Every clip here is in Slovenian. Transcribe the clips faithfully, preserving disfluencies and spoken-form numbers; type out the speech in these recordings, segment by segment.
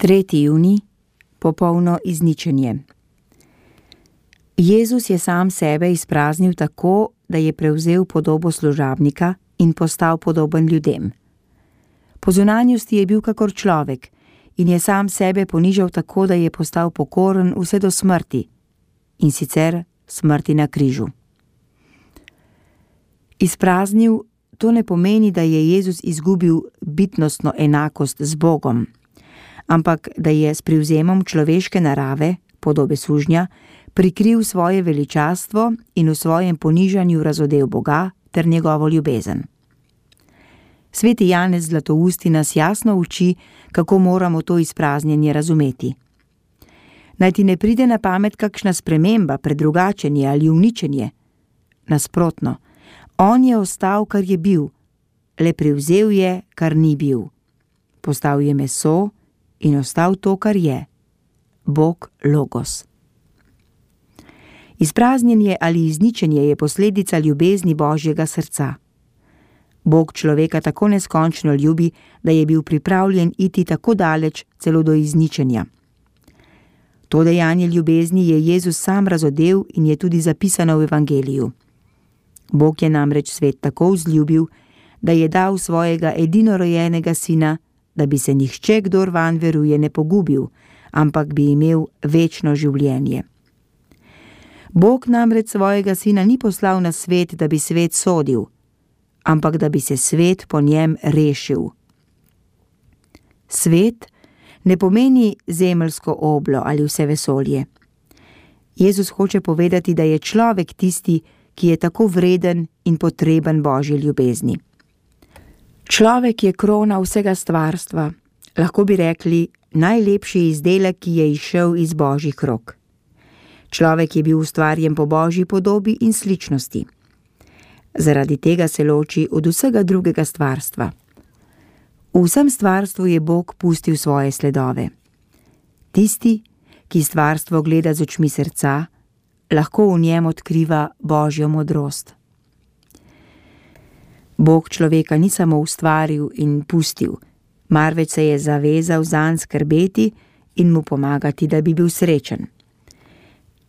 tretji junij, popolno izničenje. Jezus je sam sebe izpraznil tako, da je prevzel podobo služabnika in postal podoben ljudem. Po zunanjosti je bil kakor človek in je sam sebe ponižal tako, da je postal pokoren vse do smrti, in sicer smrti na križu. Izpraznil, to ne pomeni, da je Jezus izgubil bitnostno enakost z Bogom, ampak da je s privzemom človeške narave, podobe sužnja, prikril svoje veličastvo in v svojem ponižanju razodel Boga ter njegovo ljubezen. Sveti Janez Zlatousti nas jasno uči, kako moramo to izpraznjenje razumeti. Naj ti ne pride na pamet kakšna sprememba, predrugačenje ali uničenje. Nasprotno, on je ostal, kar je bil, le privzel je, kar ni bil. Postal je meso in ostal to, kar je. Bog Logos. Izpraznjenje ali izničenje je posledica ljubezni Božjega srca. Bog človeka tako neskončno ljubi, da je bil pripravljen iti tako daleč, celo do izničenja. To dejanje ljubezni je Jezus sam razodel in je tudi zapisano v Evangeliju. Bog je namreč svet tako vzljubil, da je dal svojega edinorojenega sina, da bi se nihče, kdor vanj veruje, ne pogubil, ampak bi imel večno življenje. Bog namreč svojega sina ni poslal na svet, da bi svet sodil, ampak da bi se svet po njem rešil. Svet ne pomeni zemeljsko oblo ali vse vesolje. Jezus hoče povedati, da je človek tisti, ki je tako vreden in potreben Božji ljubezni. Človek je krona vsega stvarstva, lahko bi rekli najlepši izdelek, ki je izšel iz Božjih rok. Človek je bil ustvarjen po Božji podobi in sličnosti. Zaradi tega se loči od vsega drugega stvarstva. V vsem stvarstvu je Bog pustil svoje sledove. Tisti, ki stvarstvo gleda z očmi srca, lahko v njem odkriva Božjo modrost. Bog človeka ni samo ustvaril in pustil, marveč se je zavezal zanj skrbeti in mu pomagati, da bi bil srečen.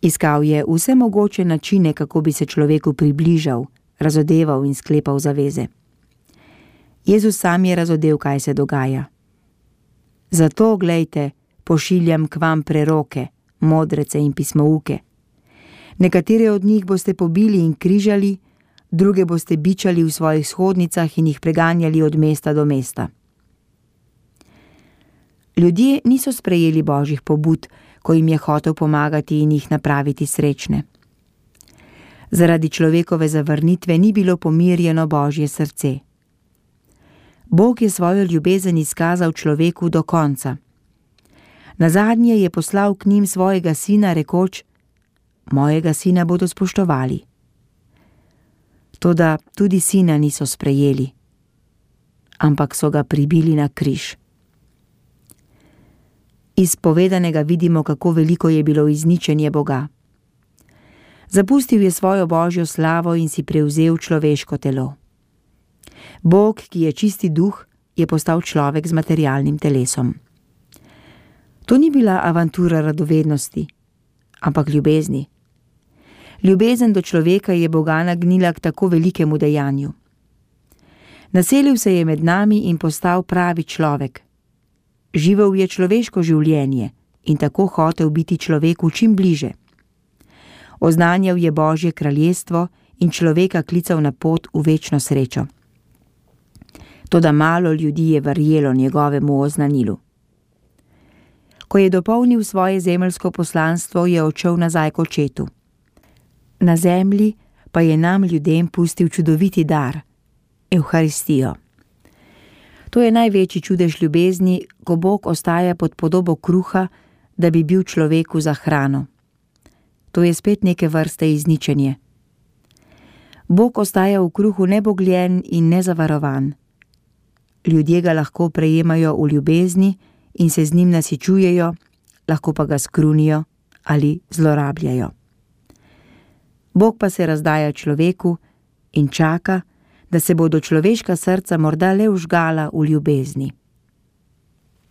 Iskal je vse mogoče načine, kako bi se človeku približal, razodeval in sklepal zaveze. Jezus sam je razodel, kaj se dogaja. Zato, glejte, pošiljam k vam preroke, modrece in pismouke. Nekatere od njih boste pobili in križali, druge boste bičali v svojih shodnicah in jih preganjali od mesta do mesta. Ljudje niso sprejeli Božjih pobud, ko jim je hotel pomagati in jih napraviti srečne. Zaradi človekove zavrnitve ni bilo pomirjeno Božje srce. Bog je svojo ljubezen izkazal človeku do konca. Nazadnje je poslal k njim svojega sina, rekoč: mojega sina bodo spoštovali. Toda tudi sina niso sprejeli, ampak so ga pribili na križ. Iz povedanega vidimo, kako veliko je bilo izničenje Boga. Zapustil je svojo Božjo slavo in si prevzel človeško telo. Bog, ki je čisti duh, je postal človek z materialnim telesom. To ni bila avantura radovednosti, ampak ljubezni. Ljubezen do človeka je Boga nagnila k tako velikemu dejanju. Naselil se je med nami in postal pravi človek. Živel je človeško življenje in tako hotel biti človeku čim bliže. Oznanjal je Božje kraljestvo in človeka klical na pot v večno srečo. Toda malo ljudi je verjelo njegovemu oznanilu. Ko je dopolnil svoje zemeljsko poslanstvo, je odšel nazaj k očetu. Na zemlji pa je nam ljudem pustil čudoviti dar, Evharistijo. To je največji čudež ljubezni, ko Bog ostaja pod podobo kruha, da bi bil človeku za hrano. To je spet neke vrste izničenje. Bog ostaja v kruhu nebogljen in nezavarovan. Ljudje ga lahko prejemajo v ljubezni in se z njim nasičujejo, lahko pa ga skrunijo ali zlorabljajo. Bog pa se razdaja človeku in čaka, da se bodo človeška srca morda le vžgala v ljubezni.